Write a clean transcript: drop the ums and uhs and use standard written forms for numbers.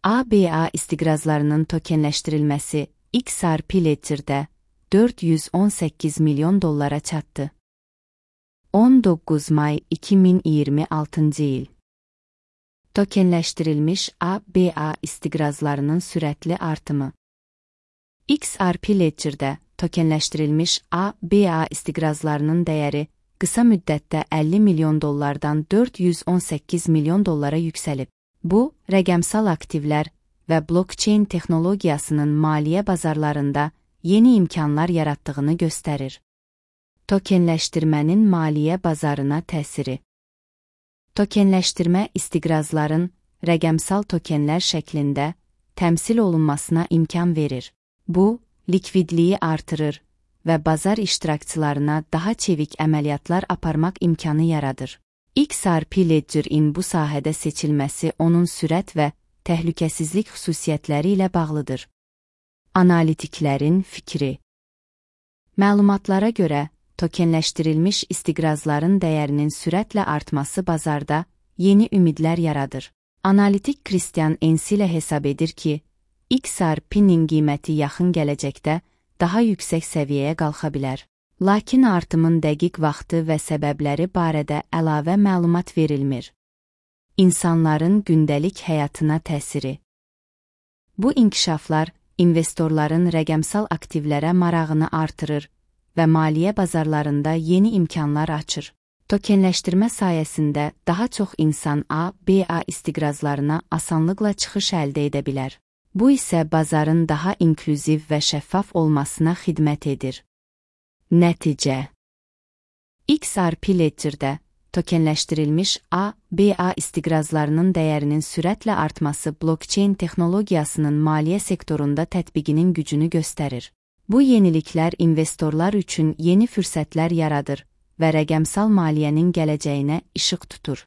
ABA istiqrazlarının tokenləşdirilməsi XRP Ledger'də $418 milyon çatdı. 19 may 2026 il. Tokenləşdirilmiş ABA istiqrazlarının sürətli artımı. XRP Ledger'də tokenləşdirilmiş ABA istiqrazlarının dəyəri qısa müddətdə $50 milyon $418 milyon yüksəlib. Bu, rəqəmsal aktivlər və blockchain texnologiyasının maliyyə bazarlarında yeni imkanlar yarattığını göstərir. Tokenləşdirmənin maliyyə bazarına təsiri. Tokenləşdirmə istiqrazların rəqəmsal tokenlər şəklində təmsil olunmasına imkan verir. Bu, likvidliyi artırır və bazar iştirakçılarına daha çevik əməliyyatlar aparmaq imkanı yaradır. XRP Ledger-in bu sahədə seçilməsi onun sürət və təhlükəsizlik xüsusiyyətləri ilə bağlıdır. Analitiklərin fikri. Məlumatlara görə, tokenləşdirilmiş istiqrazların dəyərinin sürətlə artması bazarda yeni ümidlər yaradır. Analitik Christian Ensilə hesab edir ki, XRP-nin qiyməti yaxın gələcəkdə daha yüksək səviyyəyə qalxa bilər. Lakin artımın dəqiq vaxtı və səbəbləri barədə əlavə məlumat verilmir. İnsanların gündəlik həyatına təsiri. Bu inkişaflar investorların rəqəmsal aktivlərə marağını artırır və maliyyə bazarlarında yeni imkanlar açır. Tokenləşdirmə sayəsində daha çox insan ABA istiqrazlarına asanlıqla çıxış əldə edə bilər. Bu isə bazarın daha inklüziv və şəffaf olmasına xidmət edir. Nəticə. XRP Ledger'də tokenləşdirilmiş ABA istiqrazlarının dəyərinin sürətlə artması blockchain texnologiyasının maliyyə sektorunda tətbiqinin gücünü göstərir. Bu yeniliklər investorlar üçün yeni fürsətlər yaradır və rəqəmsal maliyyənin gələcəyinə işıq tutur.